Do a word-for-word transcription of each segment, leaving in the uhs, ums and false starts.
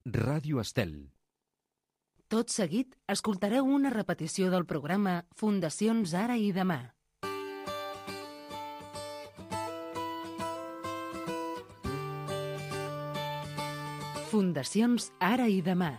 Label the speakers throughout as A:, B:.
A: Ràdio Estel.
B: Tot seguit, escoltareu una repetició del programa Fundacions Ara i Demà. Fundacions Ara i Demà.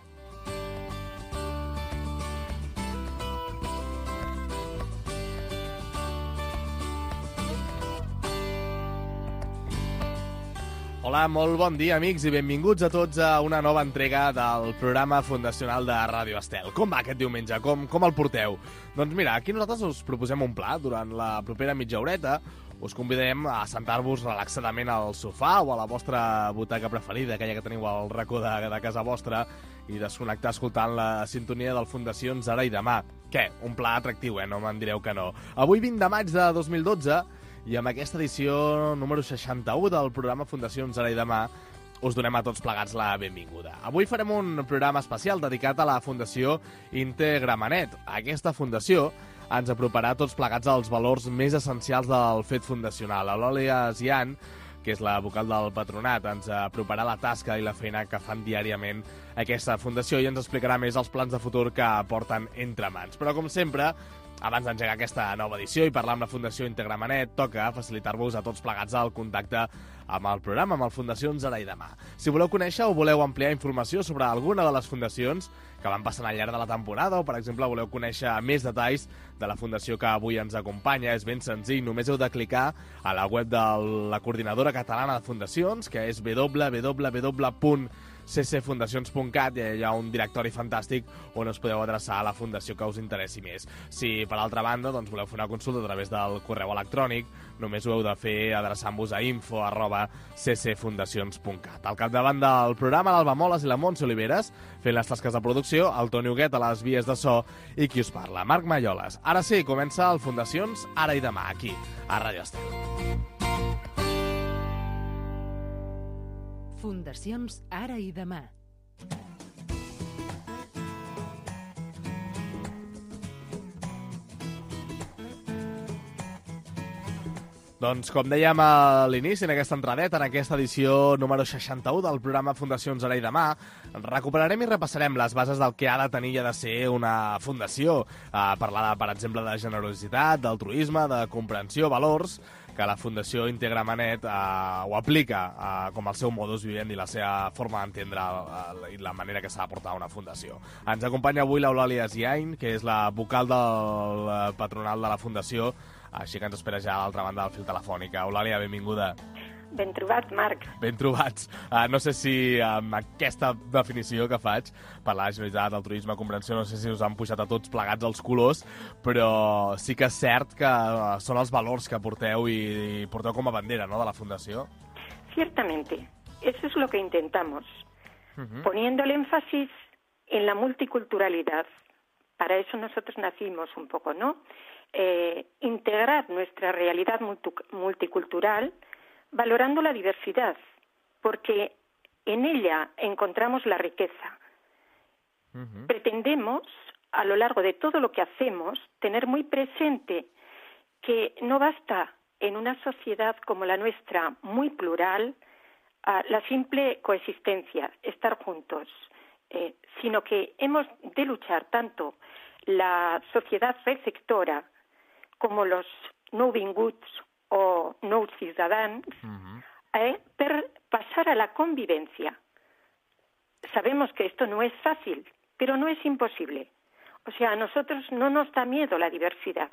C: Hola, molt bon dia, amics, i benvinguts a tots a una nova entrega del programa fundacional de Ràdio Estel. Com va aquest diumenge? Com, com el porteu? Doncs mira, aquí nosaltres us proposem un pla. Durant la propera mitja horeta us convidem a sentar-vos relaxadament al sofà o a la vostra butaca preferida, aquella que teniu al racó de, de casa vostra, i desconnectar escoltant la sintonia del Fundacions Ara i Demà. Què? Un pla atractiu, eh? No me'n direu que no. Avui, vint de maig de dos mil dotze, i amb aquesta edició número seixanta-u del programa Fundacions Ara i Demà us donem a tots plegats la benvinguda. Avui farem un programa especial dedicat a la Fundació Integramanet. Aquesta fundació ens aproparà tots plegats als valors més essencials del fet fundacional. L'Eulàlia Zian, que és la vocal del patronat, ens aproparà la tasca i la feina que fan diàriament aquesta fundació i ens explicarà més els plans de futur que porten entre mans. Però, com sempre, abans d'engegar aquesta nova edició i parlar amb la Fundació Integramanet, toca facilitar-vos a tots plegats el contacte amb el programa, amb el Fundacions Ara i Demà. Si voleu conèixer o voleu ampliar informació sobre alguna de les fundacions que van passant al llarg de la temporada o, per exemple, voleu conèixer més detalls de la fundació que avui ens acompanya, és ben senzill. Només heu de clicar a la web de la Coordinadora Catalana de Fundacions, que és w w w punt c c fundacions punt cat, i hi ha un directori fantàstic on us podeu adreçar a la fundació que us interessi més. Si, per altra banda, doncs, voleu fer una consulta a través del correu electrònic, només ho heu de fer adreçant-vos a info arroba c c fundacions punt cat. Al capdavant del programa, l'Alba Moles i la Montse Oliveres, fent les tasques de producció, el Toni Huguet a les vies de so i qui us parla, Marc Malloles. Ara sí, comença el Fundacions Ara i Demà, aquí, a Ràdio Estel.
B: Fundacions Ara i Demà.
C: Doncs, com dèiem a l'inici, en aquesta entradeta, en aquesta edició número seixanta-u del programa Fundacions Ara i Demà, recuperarem i repassarem les bases del que ha de tenir i ha de ser una fundació. Uh, parlar, per exemple, de generositat, d'altruisme, de comprensió, valors, que la Fundació Integramanet uh, ho aplica uh, com el seu modus vivendi i la seva forma d'entendre uh, i la manera que s'ha de portar una fundació. Ens acompanya avui l'Eulàlia Zian, que és la vocal del uh, patronal de la Fundació, així que ens espera ja a l'altra banda del fil telefònic. Eulàlia, benvinguda.
D: Ben trobat, Marc.
C: Ben trobats. Uh, no sé si amb aquesta definició que faig per la generositat, el turisme, comprensió, no sé si us han pujat a tots plegats els colors, però sí que és cert que uh, són els valors que porteu i, i porteu com a bandera, ¿no?, de la Fundació.
D: Ciertamente. Eso es lo que intentamos.
C: Uh-huh.
D: Poniendo el énfasis en la multiculturalidad. Para eso nosotros nacimos un poco, ¿no? Eh, integrar nuestra realidad multicultural valorando la diversidad, porque en ella encontramos la riqueza. Uh-huh. Pretendemos, a lo largo de todo lo que hacemos, tener muy presente que no basta en una sociedad como la nuestra, muy plural, uh, la simple coexistencia, estar juntos, eh, sino que hemos de luchar tanto la sociedad receptora como los nouvinguts o nous ciudadans, uh-huh. eh, per pasar a la convivencia. Sabemos que esto no es fácil, pero no es imposible. O sea, a nosotros no nos da miedo la diversidad.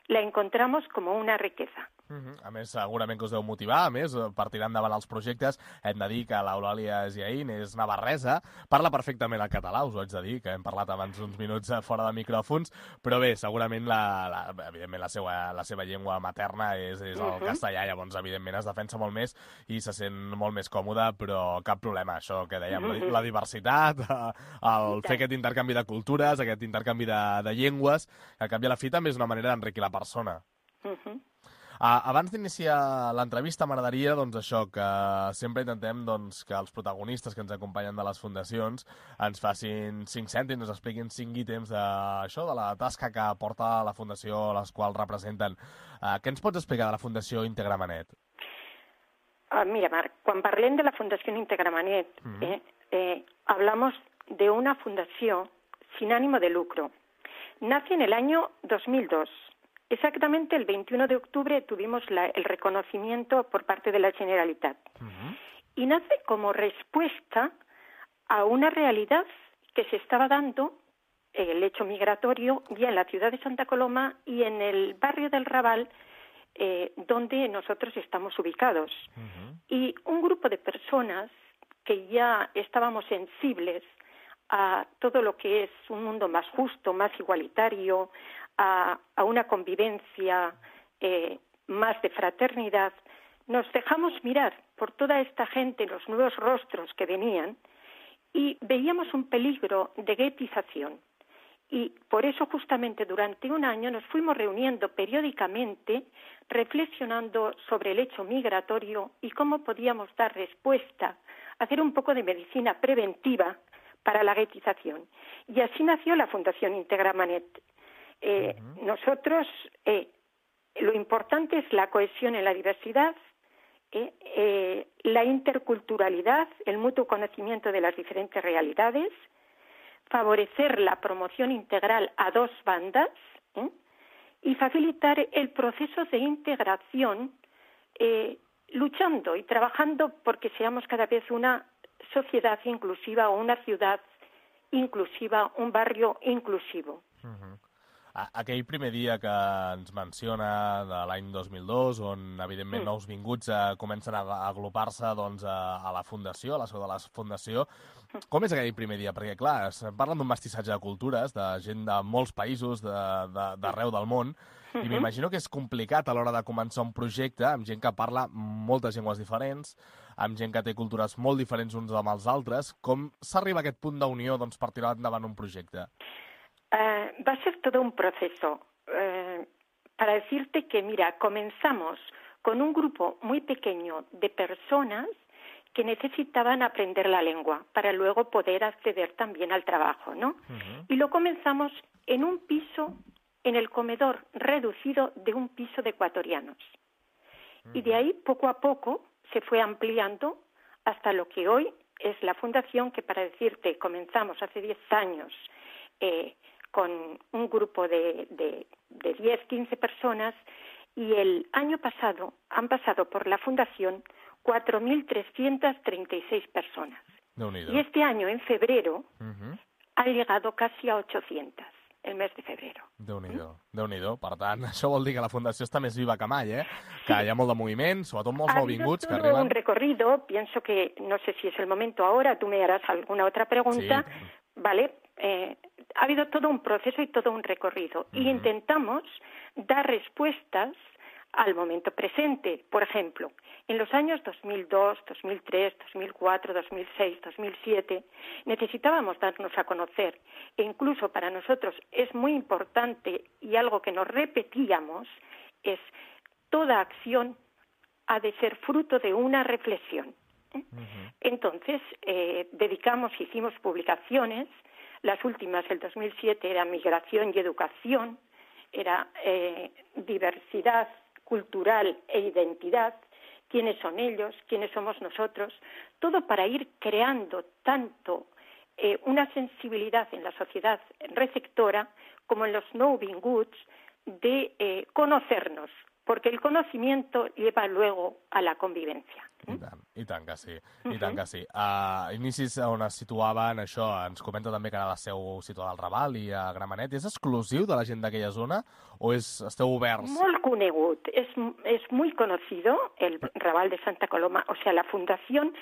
D: La encontramos como una riqueza.
C: Uh-huh. A més, segurament que us deu motivar, a més, per tirar endavant els projectes. Hem de dir que l'Eulàlia Zian és navarresa, parla perfectament el català, us ho haig de dir, que hem parlat abans uns minuts fora de micròfons, però bé, segurament la, la, evidentment la seva, la seva llengua materna és, és el uh-huh. castellà, llavors evidentment es defensa molt més i se sent molt més còmode, però cap problema, això que dèiem, uh-huh. la, la diversitat, el fer aquest intercanvi de cultures, aquest intercanvi de, de llengües, que al cap i a la fi també és una manera d'enriquir la persona.
D: Uh-huh.
C: Uh, abans d'iniciar l'entrevista m'agradaria, doncs, això, que sempre intentem doncs, que els protagonistes que ens acompanyen de les fundacions ens facin cinc cèntims, ens expliquin cinc ítems de, això, de la tasca que porta la fundació a les quals representen. Uh, què ens pots explicar de la Fundació Integramanet?
D: Uh, mira, Marc, quan parlem de la Fundació Integramanet, mm-hmm. eh, eh, hablamos de una fundación sin ánimo de lucro. Nace en el año dos mil dos. Exactamente el veintiuno de octubre tuvimos la, el reconocimiento por parte de la Generalitat. Uh-huh. Y nace como respuesta a una realidad que se estaba dando, el hecho migratorio, ya en la ciudad de Santa Coloma y en el barrio del Raval, eh, donde nosotros estamos ubicados. Uh-huh. Y un grupo de personas que ya estábamos sensibles a todo lo que es un mundo más justo, más igualitario, a, a una convivencia eh, más de fraternidad, nos dejamos mirar por toda esta gente, los nuevos rostros que venían, y veíamos un peligro de guetización. Y por eso justamente durante un año nos fuimos reuniendo periódicamente, reflexionando sobre el hecho migratorio y cómo podíamos dar respuesta, hacer un poco de medicina preventiva para la guetización. Y así nació la Fundación Integramanet. Eh, uh-huh. Nosotros, eh, lo importante es la cohesión en la diversidad, eh, eh, la interculturalidad, el mutuo conocimiento de las diferentes realidades, favorecer la promoción integral a dos bandas, ¿eh? y facilitar el proceso de integración, eh, luchando y trabajando porque seamos cada vez una sociedad inclusiva o una ciutat inclusiva, un barrio inclusivo.
C: Uh-huh. Aquell primer dia que ens menciona de l'any dos mil dos, on evidentment mm. nous vinguts eh, comencen a agrupar-se doncs, a, a la Fundació, a la seu de la Fundació, com és aquell primer dia? Perquè, clar, parlen d'un mestissatge de cultures, de gent de molts països, d'arreu de, del món, i m'imagino que és complicat a l'hora de començar un projecte amb gent que parla moltes llengües diferents, amb gent que té cultures molt diferents uns amb els altres. Com s'arriba a aquest punt d'unió doncs, per tirar endavant un projecte?
D: Uh, va a ser todo un proceso. Uh, para decirte que, mira, comenzamos con un grupo muy pequeño de personas que necesitaban aprender la lengua para luego poder acceder también al trabajo, ¿no? Uh-huh. Y lo comenzamos en un piso, en el comedor reducido de un piso de ecuatorianos. Uh-huh. Y de ahí, poco a poco, se fue ampliando hasta lo que hoy es la fundación, que para decirte, comenzamos hace diez años eh, con un grupo de, de, de diez, quince personas, y el año pasado han pasado por la fundación cuatro mil trescientas treinta y seis personas. Y este año, en febrero, uh-huh. ha llegado casi a ochocientas, el mes de febrero.
C: Déu-n'hi-do, ¿Mm? Déu-n'hi-do. Per tant, això vol dir que la Fundació està més viva que mai, eh? Que hi ha molt de moviment, sobretot molts nouvinguts que arriben.
D: Ha un recorrido, pienso que, no sé si es el momento ahora, tú me harás alguna otra pregunta, sí. ¿Vale? Eh, ha habido todo un proceso y todo un recorrido. Uh-huh. Y intentamos dar respuestas al momento presente. Por ejemplo, en los años dos mil dos, dos mil tres, dos mil cuatro, dos mil seis, dos mil siete, necesitábamos darnos a conocer. E incluso para nosotros es muy importante, y algo que nos repetíamos, es toda acción ha de ser fruto de una reflexión. ¿Eh? Uh-huh. Entonces, eh, dedicamos, hicimos publicaciones. Las últimas, el dos mil siete, era migración y educación, era eh, diversidad cultural e identidad, quiénes son ellos, quiénes somos nosotros, todo para ir creando tanto eh, una sensibilidad en la sociedad receptora como en los nouvinguts de eh, conocernos, porque el conocimiento lleva luego a la convivencia.
C: I tant, i tant que sí, i tant que sí. A uh, inicis on es situaven, això, ens comenta també que ara la seu situada al Raval i a Gramenet. És exclusiu de la gent d'aquella zona o és, esteu oberts?
D: Molt conegut, es, es muy conocido el Raval de Santa Coloma, o sea, la fundación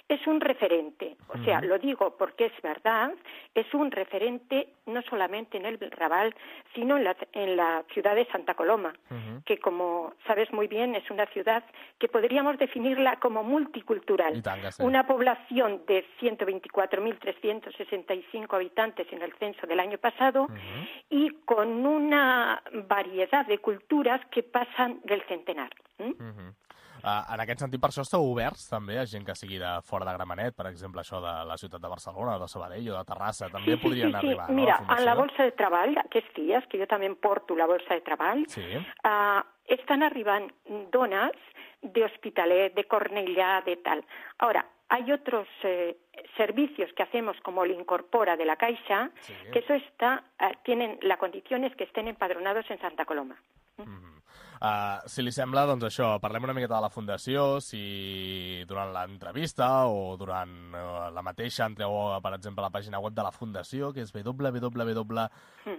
D: es un referente, o sea, uh-huh. lo digo porque es verdad, es un referente no solamente en el Raval, sino en la, en la ciudad de Santa Coloma, uh-huh. que como sabes muy bien es una ciudad que podríamos definirla como multicultural, sí. Una población de ciento veinticuatro mil trescientos sesenta y cinco habitantes en el censo del año pasado uh-huh. y con una variedad de culturas que pasan del centenar. ¿Mm?
C: Uh-huh. Uh, en aquest sentit, per això esteu oberts també a gent que sigui de fora de Gramenet, per exemple, això de la ciutat de Barcelona, o de Sabadell o de Terrassa, també
D: sí,
C: podrien
D: sí, sí,
C: arribar,
D: sí.
C: no?
D: Mira,
C: a la
D: en la bolsa de treball, aquests dies, que jo també em porto la bolsa de treball,
C: sí.
D: uh, estan arribant dones de Hospitalet, de Cornellà, de tal. Ahora, hay otros eh, servicios que hacemos como el Incorpora de la Caixa, sí. que eso está, uh, tienen, la condición es que estén empadronados en Santa Coloma.
C: Mm-hmm. Uh, si li sembla, doncs això, parlem una miqueta de la Fundació, si durant l'entrevista o durant uh, la mateixa entreu, per exemple, a la pàgina web de la Fundació, que és w w w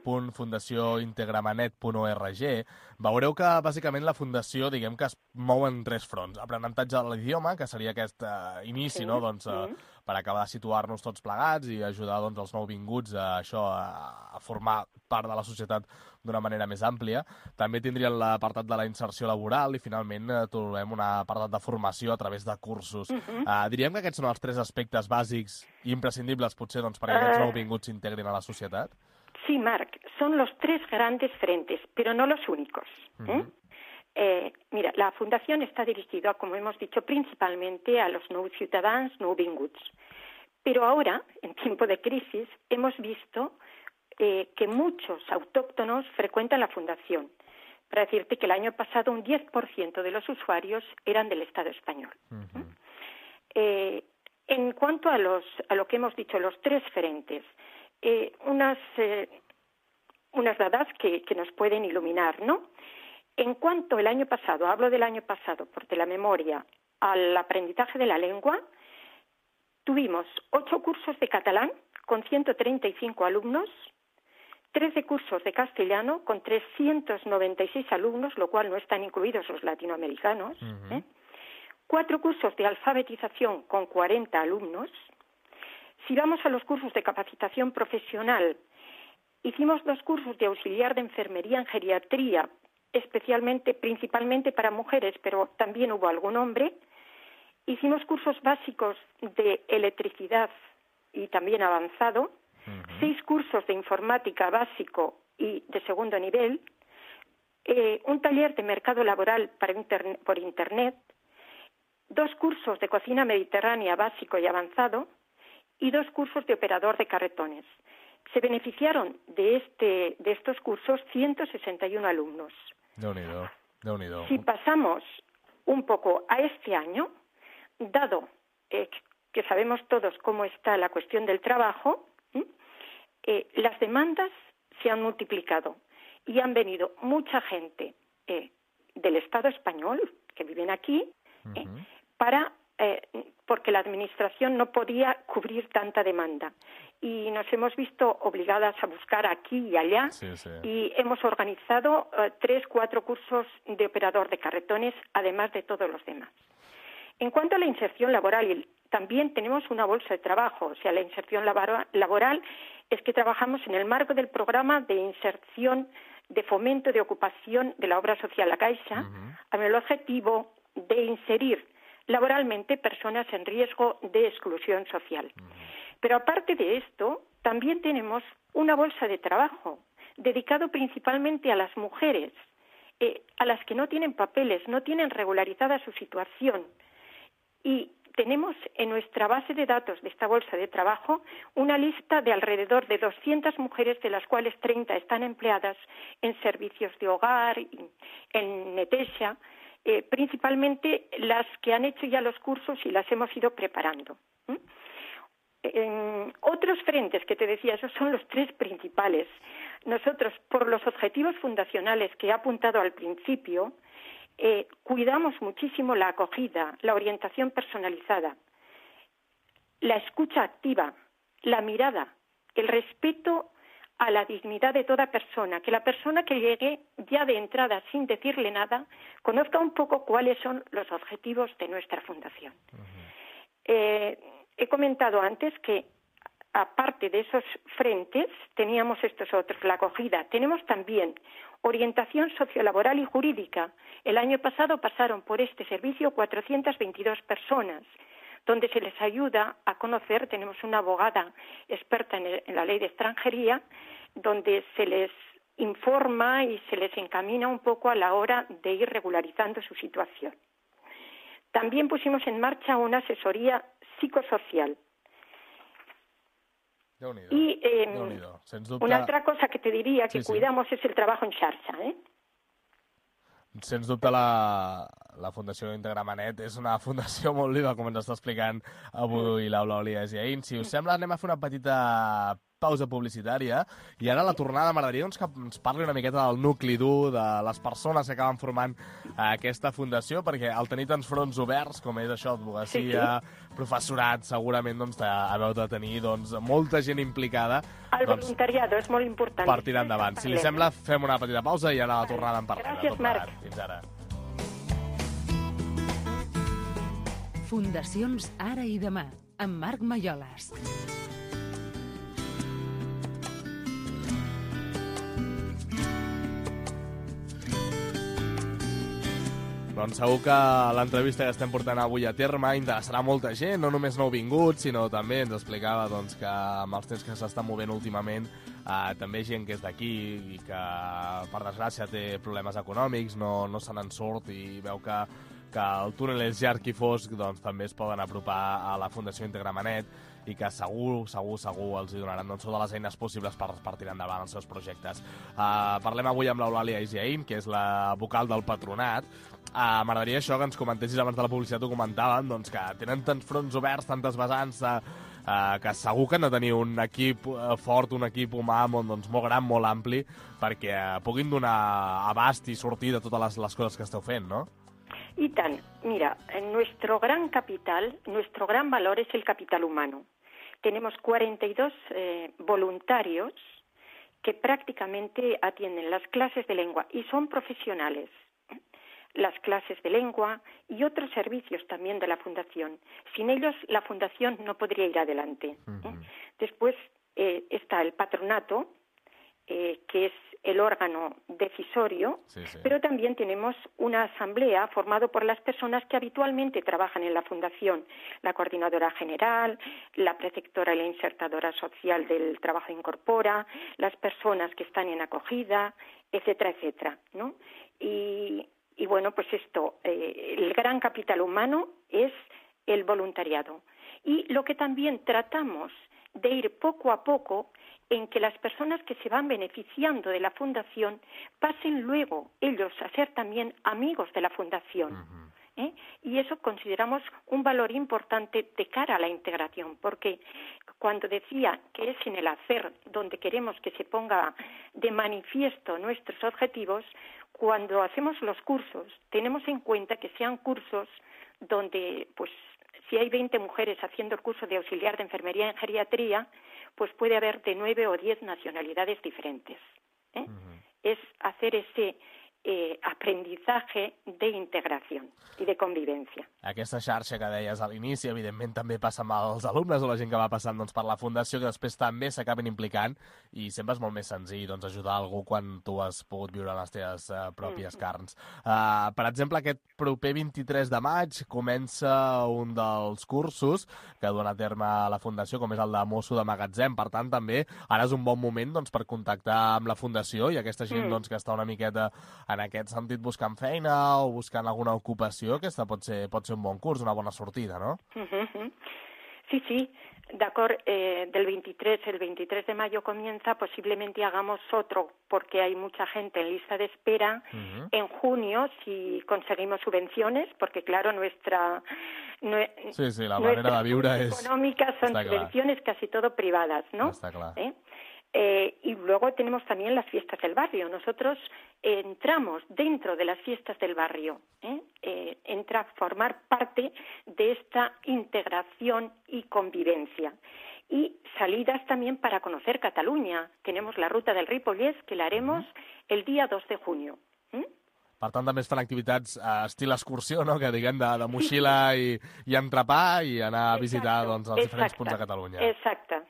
C: punt fundació integramenet punt org, veureu que, bàsicament, la Fundació, diguem que es mou en tres fronts. Aprenentatge de l'idioma, que seria aquest uh, inici, sí. no?, doncs, uh, mm. per acabar de situar-nos tots plegats i ajudar, doncs, els nouvinguts a això, a, a formar part de la societat d'una manera més àmplia. També tindrien l'apartat de la inserció laboral i, finalment, eh, trobem un apartat de formació a través de cursos. Uh-huh. uh, diríem que aquests són els tres aspectes bàsics i imprescindibles, potser, doncs, perquè aquests uh... nouvinguts s'integrin a la societat?
D: Sí, Marc, son los tres grandes frentes, pero no los únicos. ¿eh? Uh-huh. Eh, mira, la Fundación está dirigida, como hemos dicho, principalmente a los nou ciudadanos nouvinguts. Pero ahora, en tiempo de crisis, hemos visto Eh, que muchos autóctonos frecuentan la Fundación. Para decirte que el año pasado un diez por ciento de los usuarios eran del Estado español. Uh-huh. eh, en cuanto a, los, a lo que hemos dicho, los tres frentes, eh, unas, eh, unas dadas que, que nos pueden iluminar, ¿no? En cuanto el año pasado, hablo del año pasado, porque la memoria, al aprendizaje de la lengua, tuvimos ocho cursos de catalán con ciento treinta y cinco alumnos, trece cursos de castellano con trescientos noventa y seis alumnos, lo cual no están incluidos los latinoamericanos, uh-huh. ¿eh? Cuatro cursos de alfabetización con cuarenta alumnos. Si vamos a los cursos de capacitación profesional, hicimos dos cursos de auxiliar de enfermería en geriatría, especialmente, principalmente para mujeres, pero también hubo algún hombre. Hicimos cursos básicos de electricidad y también avanzado, uh-huh. seis cursos de informática básico y de segundo nivel, eh, un taller de mercado laboral para interne- por Internet, dos cursos de cocina mediterránea básico y avanzado y dos cursos de operador de carretones. Se beneficiaron de, este, de estos cursos ciento sesenta y uno alumnos.
C: Déu-n'hi-do, Déu-n'hi-do.
D: Si pasamos un poco a este año, dado eh, que sabemos todos cómo está la cuestión del trabajo, ¿eh? Eh, las demandas se han multiplicado y han venido mucha gente eh, del Estado español que viven aquí eh, uh-huh. para eh, porque la administración no podía cubrir tanta demanda y nos hemos visto obligadas a buscar aquí y allá
C: sí, sí.
D: y hemos organizado eh, tres, cuatro cursos de operador de carretones, además de todos los demás. En cuanto a la inserción laboral, también tenemos una bolsa de trabajo. O sea, la inserción laboral es que trabajamos en el marco del programa de inserción de fomento de ocupación de la obra social La Caixa, uh-huh. con el objetivo de inserir laboralmente personas en riesgo de exclusión social. Uh-huh. Pero aparte de esto, también tenemos una bolsa de trabajo dedicado principalmente a las mujeres, eh, a las que no tienen papeles, no tienen regularizada su situación. Y tenemos en nuestra base de datos de esta bolsa de trabajo una lista de alrededor de doscientas mujeres, de las cuales treinta están empleadas en servicios de hogar, en Netexa, eh, principalmente las que han hecho ya los cursos y las hemos ido preparando. ¿Mm? En otros frentes que te decía, esos son los tres principales. Nosotros, por los objetivos fundacionales que he apuntado al principio, Eh, cuidamos muchísimo la acogida, la orientación personalizada, la escucha activa, la mirada, el respeto a la dignidad de toda persona, que la persona que llegue ya de entrada sin decirle nada conozca un poco cuáles son los objetivos de nuestra fundación. Uh-huh. Eh, he comentado antes que aparte de esos frentes teníamos estos otros, la acogida. Tenemos también orientación sociolaboral y jurídica. El año pasado pasaron por este servicio cuatrocientas veintidós personas, donde se les ayuda a conocer, tenemos una abogada experta en, el, en la ley de extranjería, donde se les informa y se les encamina un poco a la hora de ir regularizando su situación. también pusimos en marcha una asesoría psicosocial.
C: Y eh, dubte...
D: una altra cosa que te diria que sí, cuidamos sí. és el treball en xarxa. Eh?
C: Sens dubte la, la Fundació Integramanet és una fundació molt viva, com ens està explicant avui l'Eulàlia Jaén. Si us sembla, anem a fer una petita pausa publicitària i ara a la tornada m'agradaria doncs, que ens parli una miqueta del nucli dur, de les persones que acaben formant aquesta fundació, perquè al tenir tants fronts oberts, com és això, advocacia, sí, sí. professorat, segurament doncs, haveu de tenir doncs, molta gent implicada.
D: El doncs, voluntariado és molt important.
C: Per tirar endavant. Si li sembla, fem una petita pausa i ara a la tornada en parlem.
D: Gràcies, Marc.
C: Fins ara.
B: Fundacions Ara i Demà, amb Marc Malloles.
C: Doncs segur que l'entrevista que estem portant avui a terme interessarà molta gent, no només nouvinguts, sinó també ens explicava doncs, que amb els temps que s'estan movent últimament eh, també gent que és d'aquí i que, per desgràcia, té problemes econòmics, no, no se n'en surt i veu que, que el túnel és llarg i fosc, doncs també es poden apropar a la Fundació Integramanet i que segur, segur, segur els hi donaran doncs, totes les eines possibles per, per tirar endavant els seus projectes. Uh, parlem avui amb l'Eulàlia Jaén, que és la vocal del patronat. Uh, M'agradaria això que ens comentessis abans de la publicitat, ho comentàvem, doncs, que tenen tants fronts oberts, tantes vessants, uh, uh, que segur que han de tenir un equip uh, fort, un equip humà molt, doncs, molt gran, molt ampli, perquè uh, puguin donar abast i sortir de totes les, les coses que esteu fent, no?
D: Y tan, mira, nuestro gran capital, nuestro gran valor es el capital humano. Tenemos cuarenta y dos eh, voluntarios que prácticamente atienden las clases de lengua y son profesionales. Las clases de lengua y otros servicios también de la Fundación. Sin ellos, la Fundación no podría ir adelante. Uh-huh. ¿eh? Después eh, está el patronato, eh, que es el órgano decisorio, sí, sí. Pero también tenemos una asamblea formada por las personas que habitualmente trabajan en la Fundación, la coordinadora general, la preceptora y la insertadora social del trabajo incorpora, las personas que están en acogida, etcétera, etcétera, ¿no? Y, y bueno, pues esto, eh, el gran capital humano es el voluntariado. Y lo que también tratamos de ir poco a poco en que las personas que se van beneficiando de la Fundación pasen luego ellos a ser también amigos de la Fundación. Uh-huh. ¿eh? Y eso consideramos un valor importante de cara a la integración, porque cuando decía que es en el hacer donde queremos que se ponga de manifiesto nuestros objetivos, cuando hacemos los cursos tenemos en cuenta que sean cursos donde, pues, si hay veinte mujeres haciendo el curso de auxiliar de enfermería en geriatría, pues puede haber de nueve o diez nacionalidades diferentes. ¿eh? Uh-huh. Es hacer ese eh, aprendizaje de integración i de convivència.
C: Aquesta xarxa que deies a l'inici, evidentment també passa amb els alumnes o la gent que va passant doncs, per la Fundació, que després també s'acaben implicant i sempre és molt més senzill doncs, ajudar algú quan tu has pogut viure les teves uh, pròpies mm. carns. Uh, per exemple, aquest proper vint-i-tres de maig comença un dels cursos que dona a terme la Fundació, com és el de mosso de magatzem. Per tant, també ara és un bon moment doncs, per contactar amb la Fundació i aquesta gent mm. doncs, que està una miqueta en aquest sentit buscant feina o buscant alguna ocupació, aquesta pot ser, pot ser un bon curs, una bona sortida, ¿no?
D: Uh-huh. Sí, sí, d'acord. Eh, del veintitrés, el veintitrés de mayo comienza, posiblemente hagamos otro, porque hay mucha gente en lista de espera. Uh-huh. En junio, si conseguimos subvenciones, porque claro, nuestra... Nue
C: sí, sí, la manera de viure és...
D: econòmiques son subvenciones clar. Casi todo privadas, ¿no?
C: Està clar.
D: ¿Eh? Eh, y luego tenemos también las fiestas del barrio. Nosotros eh, entramos dentro de las fiestas del barrio, ¿eh? Eh, entra a formar parte de esta integración y convivencia. Y salidas también para conocer Cataluña. Tenemos la ruta del Ripollès, que la haremos el día dos de junio. ¿eh?
C: Per tant, també es fan activitats eh, estil excursió, no? Que diguem de, de moxila i, i entrepà i anar a visitar doncs, els
D: exacte,
C: diferents punts de Catalunya.
D: Exacte.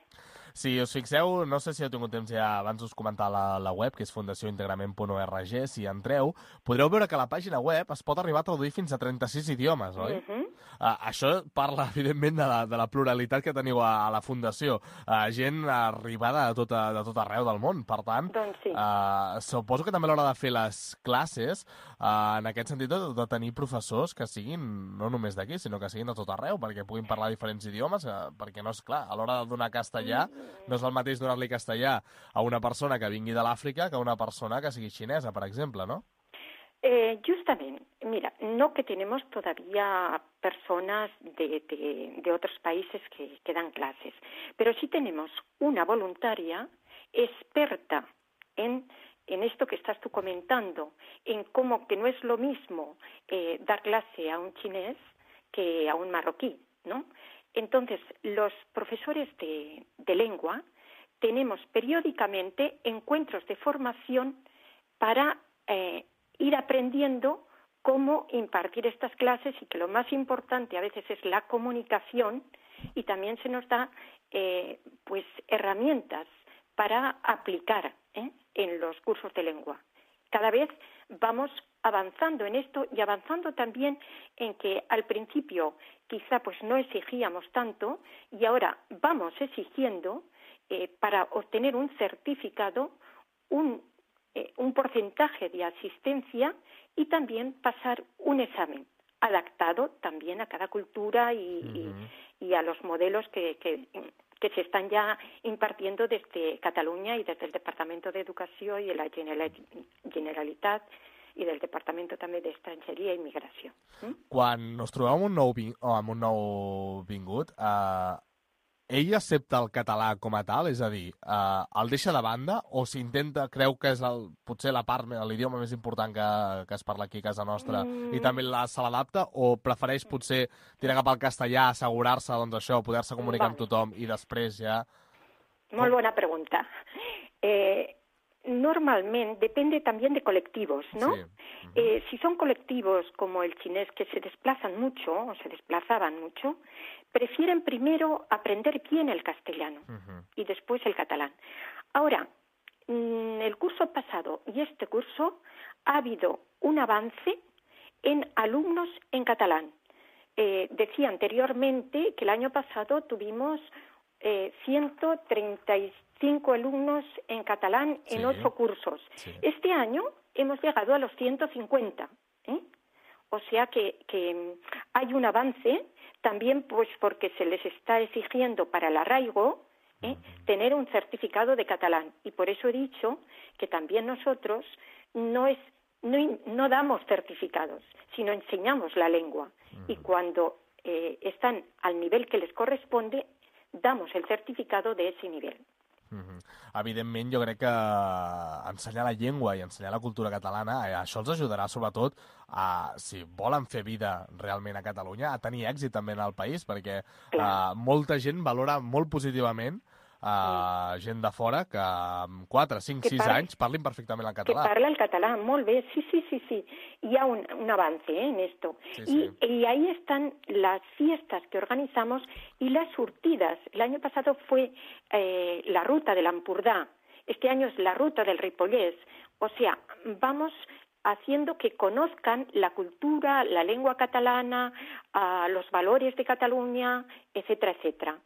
C: Si us fixeu, no sé si heu tingut temps ja, abans us comentar la, la web, que és fundació integrament punt org, si entreu, podreu veure que la pàgina web es pot arribar a traduir fins a trenta-sis idiomes, oi? Uh-huh. Uh, això parla, evidentment, de la, de la pluralitat que teniu a, a la Fundació. Uh, gent arribada de tot, de tot arreu del món. Per tant,
D: doncs sí.
C: uh, suposo que també a l'hora de fer les classes, uh, en aquest sentit, de, de tenir professors que siguin no només d'aquí, sinó que siguin de tot arreu, perquè puguin parlar diferents idiomes, uh, perquè no és clar, a l'hora de donar castellà, no és el mateix donar-li castellà a una persona que vingui de l'Àfrica que a una persona que sigui xinesa, per exemple, ¿no?
D: Eh, justamente, mira, no que tenemos todavía personas de, de, de otros países que, que dan clases, pero sí tenemos una voluntaria experta en, en esto que estás tú comentando, en cómo que no es lo mismo eh, dar clase a un chinés que a un marroquí, ¿no? Entonces, los profesores de, de lengua tenemos periódicamente encuentros de formación para eh, ir aprendiendo cómo impartir estas clases y que lo más importante a veces es la comunicación y también se nos da eh, pues herramientas para aplicar ¿eh? en los cursos de lengua. Cada vez vamos avanzando en esto y avanzando también en que al principio quizá pues no exigíamos tanto y ahora vamos exigiendo eh, para obtener un certificado un Eh, un porcentaje de asistencia y también pasar un examen adaptado también a cada cultura y, uh-huh. y, y a los modelos que, que, que se están ya impartiendo desde Cataluña y desde el Departamento de Educación y de la Generalitat i del Departament també d'Estrangeria i Immigració. Mm?
C: Quan us trobeu amb un nou, ving... oh, amb un nou vingut, eh, ell accepta el català com a tal? És a dir, eh, el deixa de banda o s'intenta, creu que és el, potser la part, l'idioma més important que, que es parla aquí a casa nostra mm. i també la, se l'adapta o prefereix potser tirar cap al castellà, assegurar-se, doncs això, poder-se comunicar vale. amb tothom i després ja...
D: Molt bona pregunta. Eh, normalment depende también de colectivos, ¿no? Sí. Uh-huh. eh, si son colectivos como el chinés que se desplazan mucho o se desplazaban mucho, prefieren primero aprender bien el castellano uh-huh. y después el catalán. Ahora, en el curso pasado y este curso ha habido un avance en alumnos en catalán. Eh, decía anteriormente que el año pasado tuvimos eh, ciento treinta y cinco alumnos en catalán en sí. ocho cursos. Sí. Este año hemos llegado a los ciento cincuenta. ¿eh? O sea que, que hay un avance, también pues porque se les está exigiendo para el arraigo ¿eh? tener un certificado de catalán. Y por eso he dicho que también nosotros no, es, no, no damos certificados, sino enseñamos la lengua. Y cuando eh, están al nivel que les corresponde, damos el certificado de ese nivel.
C: Mm-hmm. Evidentment, jo crec que ensenyar la llengua i ensenyar la cultura catalana, eh, això els ajudarà sobretot a, si volen fer vida realment a Catalunya, a tenir èxit també en el país, perquè eh, molta gent valora molt positivament eh, gent de fora que amb quatre, cinc, sis anys parlin perfectament el català.
D: Que parla el català, molt bé, sí, sí, sí, sí. Hi ha un, un avance ¿eh? en esto. Sí, sí. Y, y ahí están las fiestas que organizamos y las surtidas. El año pasado fue eh, la ruta del Ampurdá, este año es la ruta del Ripollès. O sea, vamos haciendo que conozcan la cultura, la lengua catalana, uh, los valores de Catalunya, etcétera, etcétera.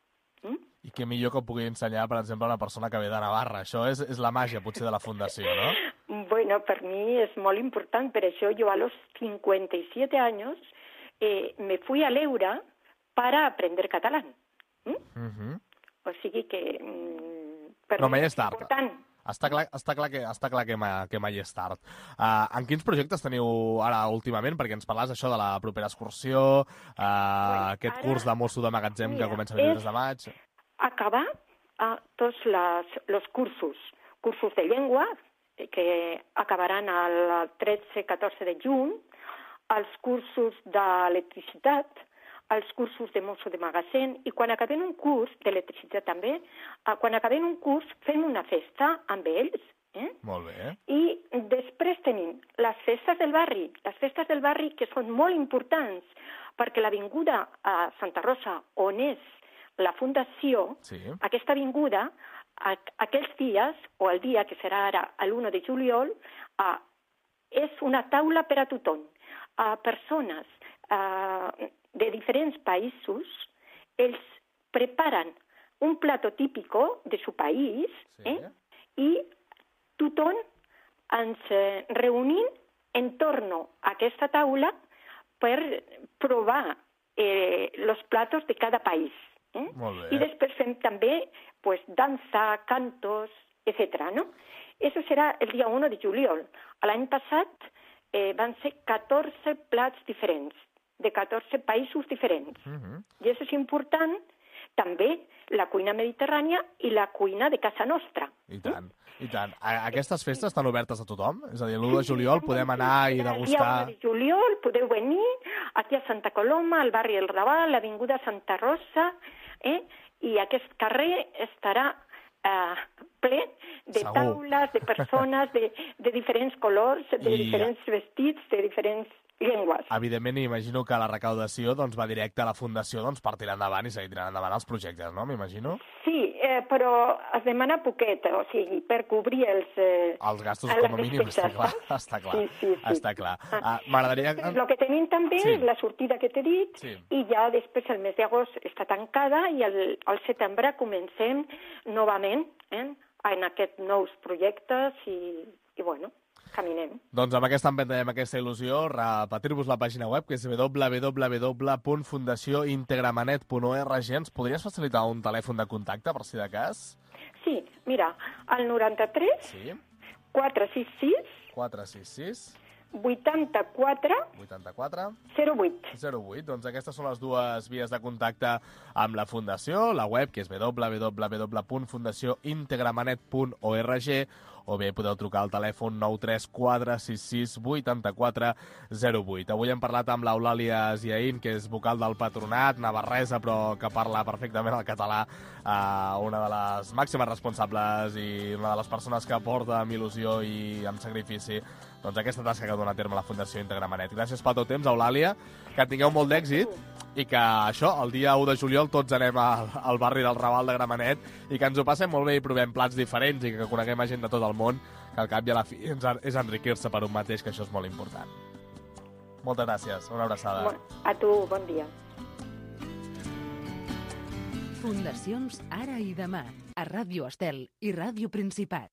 D: Mm?
C: I què millor que ho pugui ensenyar, per exemple, a una persona que ve de Navarra. Això és, és la màgia, potser, de la Fundació, ¿no?
D: Bueno, per mi és molt important. Per això jo a los cincuenta y siete años eh, me fui a l'Eura para aprender catalán. ¿Mm? Uh-huh. O sigui que mm, per
C: no,
D: mi
C: és important. Està clar, està clar que, està clar que, ma, que mai és tard. Uh, en quins projectes teniu ara últimament? Perquè ens parles això de la propera excursió, uh, bueno, aquest ara, curs de mosso de magatzem mira, que comença el vint-i-tres de maig...
D: Acabar uh, tots les, los cursos, cursos de llengua, que acabaran el tretze catorze de juny, els cursos d'electricitat, els cursos de mosso de magatzem, i quan acabem un curs d'electricitat també, uh, quan acabem un curs fem una festa amb ells. Eh?
C: Molt bé.
D: I després tenim les festes del barri, les festes del barri que són molt importants, perquè l'avinguda a Santa Rosa, on és la Fundació, sí. aquesta avinguda, a, aquells dies, o el dia que serà ara l'u de juliol, uh, és una taula per a tothom. Uh, persones uh, de diferents països, ells preparen un plato típico de su país, sí. eh? I tothom ens eh, reunim en torno a aquesta taula per provar eh, los platos de cada país. Eh? I després fem també pues, dansa, cantos, etcètera. ¿No? Eso serà el dia u de juliol. L'any passat eh, van ser catorze plats diferents, de catorze països diferents. Uh-huh. I això és important, també la cuina mediterrània i la cuina de casa nostra.
C: I tant, eh? i tant. Aquestes festes estan obertes a tothom? És a dir, l'u de juliol podem anar i degustar...
D: El dia u de juliol podeu venir aquí a Santa Coloma, al barri El Raval, a l'avinguda Santa Rosa, eh? I aquest carrer estarà eh, ple de Segur. taules, de persones, de, de diferents colors, de I... diferents vestits, de diferents llengües.
C: Evidentment, imagino que la recaudació doncs, va directe a la Fundació doncs, per tirar endavant i seguir tirant endavant els projectes, no? M'imagino?
D: Sí, eh, però es demana poquet, o sigui, per cobrir els... Eh,
C: els gastos, com a mínim, està clar. Està clar, sí, sí, sí. Està clar. Ah, m'agradaria...
D: El que tenim també sí. és la sortida que t'he dit, sí. i ja després el mes d'agost està tancada i el, el setembre comencem novament eh, en aquests nous projectes i, i bueno... caminem.
C: Doncs amb aquesta empenta i amb aquesta il·lusió, repetir-vos la pàgina web, que és w w w punt fundació integramanet punt org. Ens podries facilitar un telèfon de contacte, per si de cas?
D: Sí, mira, el noranta-tres, sí. quatre sis sis,
C: quatre sis sis,
D: vuitanta-quatre,
C: vuitanta-quatre,
D: zero vuit.
C: zero vuit. Doncs aquestes són les dues vies de contacte amb la Fundació, la web, que és w w w punt fundació integramanet punt org, o bé podeu trucar al telèfon nou tres quatre sis sis vuit quatre zero vuit. Avui hem parlat amb l'Eulàlia Ziaín, que és vocal del Patronat, navarresa, però que parla perfectament el català, eh, una de les màximes responsables i una de les persones que porta amb il·lusió i amb sacrifici doncs aquesta tasca que dona a terme la Fundació Integramanet. Gràcies pel teu temps, Eulàlia, que tingueu molt d'èxit i que això, el dia u de juliol tots anem al, al barri del Raval de Gramenet i que ens ho passem molt bé i provem plats diferents i que coneguem a gent de tot el món, que al cap i a la fi és enriquir-se per un mateix, que això és molt important. Moltes gràcies, una abraçada.
D: A tu, bon dia.
B: Fundacions Ara i Demà, a Ràdio Estel i Ràdio Principat.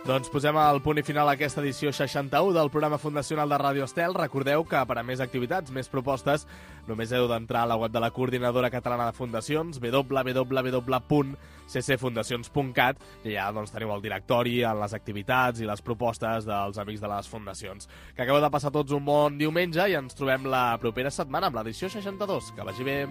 C: Doncs posem el punt i final a aquesta edició seixanta-u del programa fundacional de Ràdio Estel. Recordeu que per a més activitats, més propostes, només heu d'entrar a la web de la Coordinadora Catalana de Fundacions, w w w punt c c fundacions punt cat, i allà doncs, teniu el directori, les activitats i les propostes dels amics de les fundacions. Que acabeu de passar tots un bon diumenge i ens trobem la propera setmana amb l'edició seixanta-dos. Que vagi bé!